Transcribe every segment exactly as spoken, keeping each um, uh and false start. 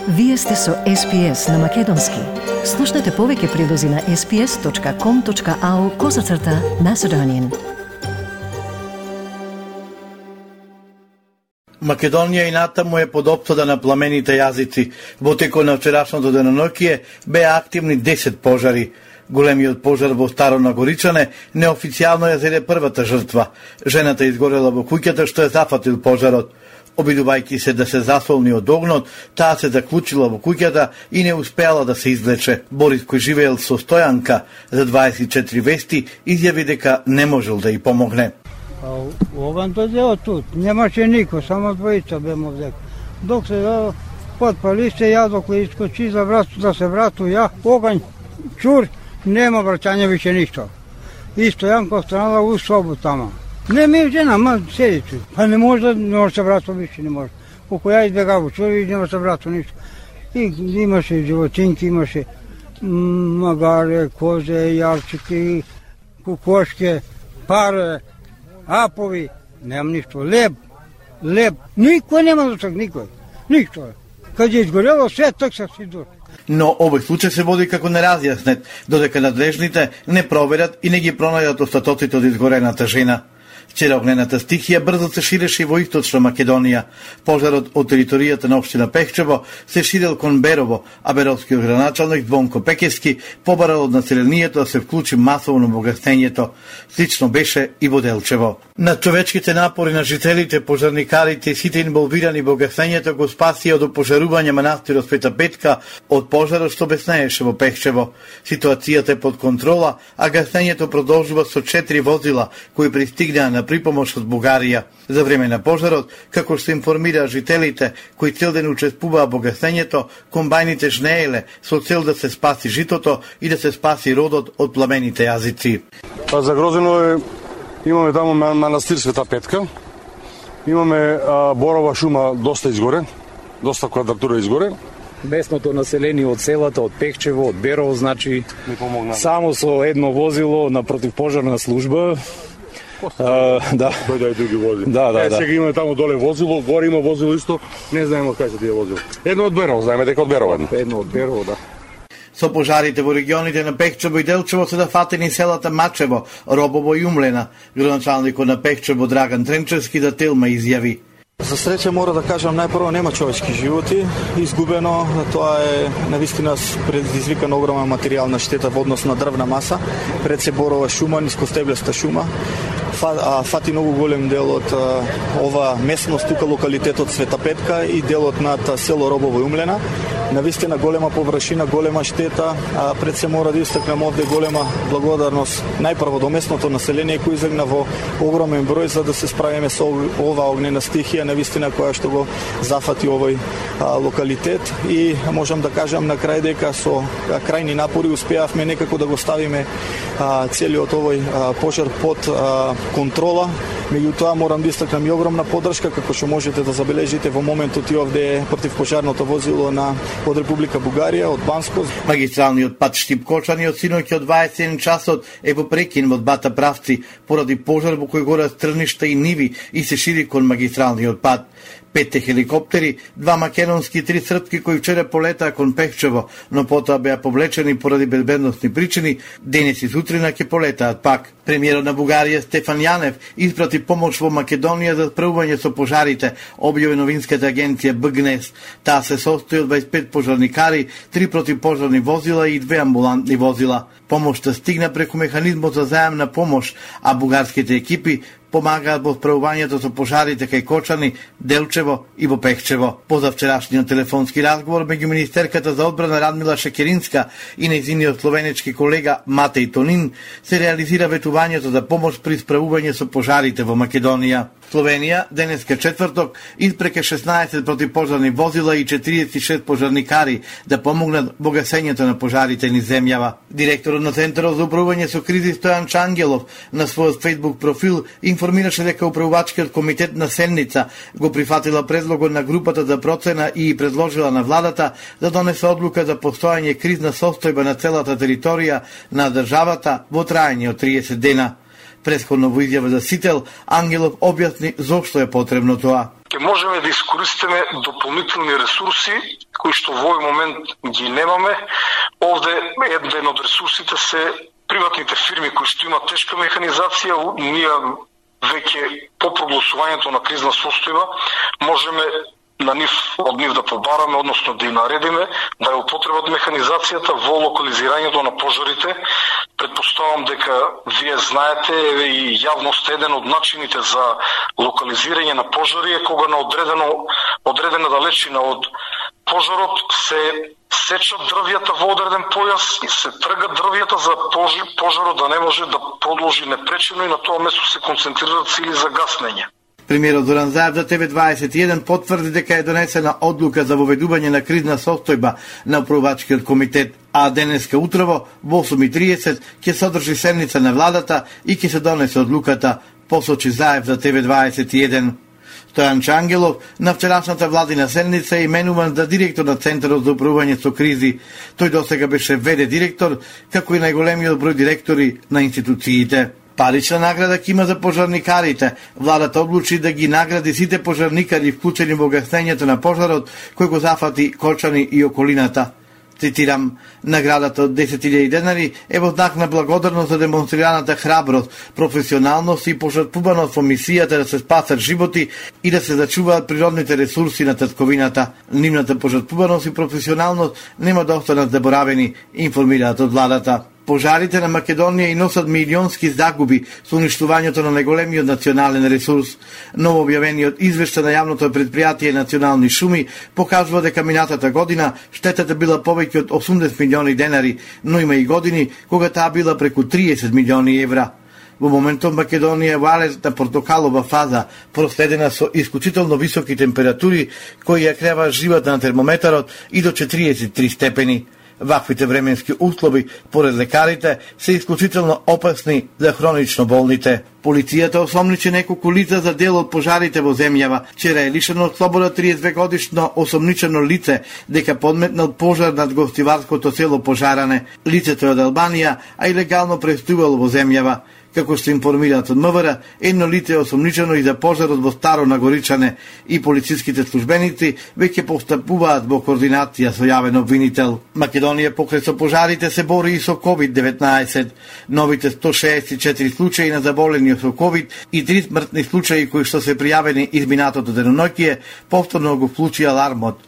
Вие сте со Ес Пи Ес на Македонски. Слушнете повеќе прилози на ес пи ес точка ком точка ау козацрта Macedonian. Македонија и натаму е под опсада на пламените јазици. Во текот на вчерашното деноноќие беа активни десет пожари. Големиот пожар во Старо Нагоричане неофицијално ја зеде првата жртва. Жената изгорела во куќата што е зафатил пожарот. Обидувајќи се да се засолни од огнот, таа се заклучила во куќата и не успеала да се излече. Борис, кој живеел со Стојанка за дваесет и четири вести, изјави дека не можел да ја помогне. Оган дојде тут, немаше никој, само двојца беме овде. Док се потпали се, ја док искочи за врату, да се врату, ја, оган, чур, нема враќање више ништо. И Стојанка останала у собу тама. Не ми жена, ма седи тут. Па не може да не може се врату више, не може. Колку ја избегав, чури, нема се врату ништо. И имаше животинки, имаше магаре, козе, јарчики, кукошке, паре, апови, нема ништо, леб, леб, никој нема до так, никој, ништо. Каде изгорело све, так се си дур. Но овој случај се води како неразјаснет, додека надлежните не проверат и не ги пронајдат остатоците од изгорената жена. Вчера огнената стихија брзо се ширеше во источна Македонија. Пожарот од територијата на општина Пехчево се ширел кон Берово, а беровскиот градоначалник Звонко Пекевски побарал од населението да се вклучи масово во гаснењето. Слично беше и во Делчево. На човечките напори на жителите, пожарникарите и сите инволвирани во гаснењето го спасија од опожарување манастирот Света Петка од пожарот што беснееше во Пехчево. Ситуацијата е под контрола, а гаснењето продолжува со четири возила кои пристигнаа на припомош од Бугарија. За време на пожарот, како што информира жителите кои цел ден учествуваа во гаснењето, комбајните жнееле со цел да се спаси житото и да се спаси родот од пламените јазици. Па загрозено е, имаме таму манастир Света Петка, имаме а, борова шума доста изгоре, доста квадратура изгоре. Местното население од селата, од Пехчево, од Берово, значи само со едно возило на противпожарна служба. Uh, да. Дојде и други возила. Да, да, е, да. Сега има таму доле возило, горе има возило исто, не знаеме од кај се тие возило. Едно од Берово, знаеме дека од Берово. Едно од Берово, да. Со пожарите во регионите на Пехчево и Делчево се зафатени селата Мачево, Робово и Умлена. Градоначалникот на Пехчево Драган Тренчевски да Телма изјави. За среќа мора да кажам најпрво нема човечки животи изгубено, тоа е навистина предизвикана огромна материјална штета во однос на дрвна маса, пред се борова шума, нискостеблеста шума. Фати многу голем дел од ова местност, тука локалитетот Света Петка и делот над село Робово и Умлена. Навистина голема површина, голема штета, а пред се мора да истакнем овде голема благодарност најпрво до местното население кој излегна во огромен број за да се справиме со ова огнена стихија, навистина која што го зафати овој а, локалитет и можам да кажам на крај дека со а, крајни напори успеавме некако да го ставиме а, целиот овој а, пожар под а, контрола. Меѓутоа морам да истакнам и огромна поддршка како што можете да забележите во моментот и овде противпожарното возило на од Република Бугарија, од Банско. Магистралниот пат Штип-Кочани од синоќ од дваесет и еден часот е во прекин во двата правци поради пожар во кој горат стрништа и ниви и се шири кон магистралниот пат. Петте хеликоптери, два македонски и три српски кои вчера полетаа кон Пехчево, но потоа беа повлечени поради безбедносни причини, денес и сутрина ќе полетаат пак. Премиерот на Бугарија Стефан Јанев испрати помош во Македонија за справување со пожарите, објави новинската агенција Б Г Н Е С. Таа се состои од дваесет и пет пожарникари, три противпожарни возила и две амбулантни возила. Помошта стигна преку механизмот за заемна помош, а бугарските екипи помагаат во справувањето со пожарите кај Кочани, Делчево и во Пехчево. Позавчерашниот телефонски разговор меѓу министерката за одбрана Радмила Шекеринска и нејзиниот словенечки колега Матеј Тонин се реализира ветувањето за помош при справување со пожарите во Македонија. Словенија денеска четврток испреке шеснаесет противпожарни возила и четириесет и шест пожарникари да помогнат во гасењето на пожарите низ земјава. Директорот на Центарот за управување со кризи Стојан Чангелов на својот Facebook профил информираше дека управувачкиот комитет на Сенница го прифатила предлогот на групата за процена и предложила на владата да донесе одлука за постојање кризна состојба на целата територија на државата во траење од триесет дена. Претходно во изјава за Сител, Ангелов објасни зошто е потребно тоа. Ке можеме да искористиме дополнителни ресурси кои што во овој момент ги немаме. Овде еден од ресурсите се приватните фирми кои што имаат тешка механизација. Ние веќе по прогласувањето на кризна состојба можеме на нив, од нив да побараме, односно да им наредиме да ја употребат механизацијата во локализирањето на пожарите. Предпоставам дека вие знаете, еве и јавност, еден од начините за локализирање на пожари е кога на одредено, одредена далечина од пожарот се сечат дрвјата во одреден појас и се тргат дрвјата за пожарот да не може да продолжи непречено и на тоа место се концентрираат сили за гаснење. Премиерот Зоран Заев за Т В дваесет и еден потврди дека е донесена одлука за воведување на кризна состојба на управувачкиот комитет, а денеска утрово во осум и триесет ќе содржи седница на владата и ќе се донесе одлуката, посочи Заев за Т В дваесет и еден. Стојан Чангелов на вчерашната владина седница е именуван за директор на Центарот за управување со кризи. Тој досега беше В Д директор, како и најголемиот број директори на институциите. Парична награда ќе има за пожарникарите. Владата одлучи да ги награди сите пожарникари вклучени во гаснењето на пожарот кој го зафати Колчани и околината. Цитирам, наградата од десет илјади денари е во знак на благодарност за демонстрираната храброст, професионалност и пожртвуваност во мисијата да се спасат животи и да се зачуваат природните ресурси на татковината. Нивната пожртвуваност и професионалност нема да останат заборавени, информираат од владата. Пожарите на Македонија и носат милионски загуби со уништувањето на најголемиот национален ресурс. Ново објавениот извештај на јавното предпријатие Национални шуми покажува дека минатата година штетата била повеќе од осумдесет милиони денари, но има и години кога таа била преку триесет милиони евра. Во моментот Македонија е во алертна портокалова фаза, проследена со исклучително високи температури кои ја креваат живата на термометарот и до четириесет и три степени. Ваквите временски услови, поред лекарите, се исклучително опасни за хронично болните. Полицијата осомничи неколку лица за дел од пожарите во земјава. Вчера е лишено од слобода триесет две годишно осомничено лице дека подметнал пожар над гостиварското село Пожаране. Лицето е од Албанија, а и легално престојувало во земјава. Како што информираат од М В Р, едно лице е осомничено и за пожарот во Старо Нагоричане и полициските службеници веќе постапуваат во координација со јавен обвинител. Македонија покрај со пожарите се бори и со ковид деветнаесет. Новите сто шеесет и четири случаи на заболени со ковид и три смртни случаи кои што се пријавени изминатото деноноќие повторно го вклучи алармот.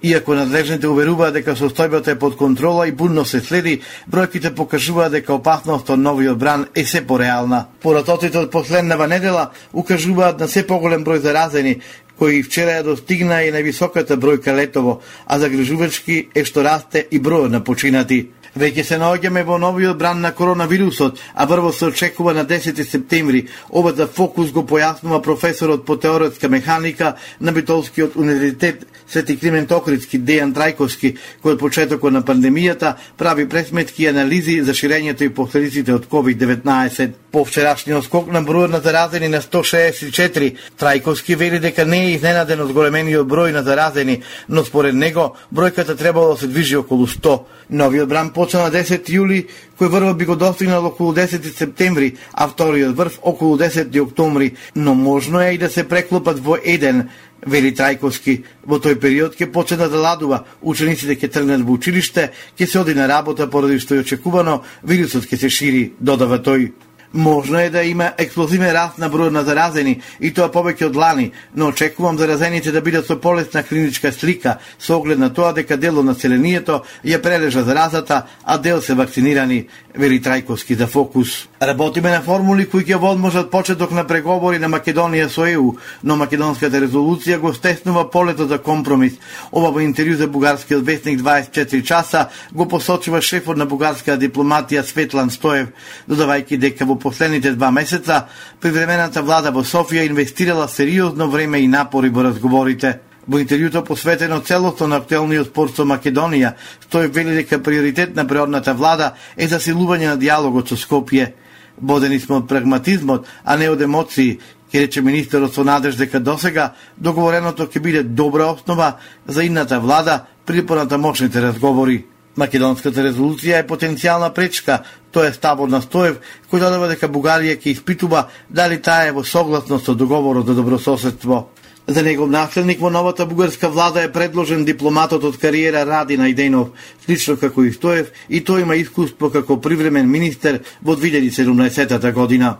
Иако надлежните уверуваат дека состојбата е под контрола и будно се следи, бројките покажуваат дека опасноста од новиот бран е се пореална. Поратоците од последнава недела укажуваат на се поголем број заразени, кои вчера ја достигна и највисоката бројка летово, а загрижувачки е што расте и бројот на починати. Веќе се наоѓаме во новиот бран на коронавирусот, а прво се очекува на десети септември. Ова за фокус го појаснува професорот по теоретска механика на Битолскиот универзитет Свети Климент Охридски Дејан Трајковски, кој од почетокот на пандемијата прави пресметки и анализи за ширењето и последиците од ковид деветнаесет. По вчерашниот скок на бројот на заразени на сто шеесет и четири, Трајковски вели дека не е изненаден од големениот број на заразени, но според него бројката требало да се движи околу сто. Новиот бран почна на десети јули, кој врвот би го достигнал околу десети септември, а вториот врв околу десети октомври, но можно е и да се преклопат во еден, вели Трајковски. Во тој период ќе почне да ладува, учениците ќе тргнат во училиште, ќе се оди на работа поради што е очекувано вирусот ќе се шири, додава тој. Можно е да има експлозивен раст на бројот на заразени и тоа повеќе од лани, но очекувам заразените да бидат со полесна клиничка слика со оглед на тоа дека дел од населението ја прележа заразата, а дел се вакцинирани, вели Трајковски за Фокус. Работиме на формули кои ќе возможат почеток на преговори на Македонија со Е У, но македонската резолуција го стеснува полето за компромис. Ова во интервју за бугарскиот вестник дваесет и четири часа го посочува шефот на бугарската дипломатија Светлан Стоев, додавајќи дека во последните два месеца привремената влада во Софија инвестирала сериозно време и напори во разговорите. Во интервјуто посветено целосно на актуелниот спор со Македонија, Стоев вели дека приоритет на предходната влада е засилување на диалогот со Скопје. Бодени сме од прагматизмот, а не од емоции, ке рече министерот со надеж дека досега договореното ќе биде добра основа за идната влада при понатамошните разговори. Македонската резолуција е потенцијална пречка, тоа е стабор на Стоев, кој додава дека Бугарија ќе испитува дали таа е во согласност со договорот за добрососедство. За негов наследник во новата бугарска влада е предложен дипломатот од кариера Ради Најденов, слично како и Стоев, и тој има искуство како привремен министер во две илјади и седумнаесетта година.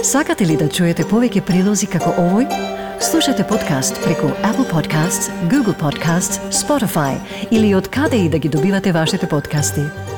Сакате ли да чуете повеќе прилози како овој? Слушате подкаст преку Apple Podcasts, Google Podcasts, Spotify или од каде и да ги добивате вашите подкасти.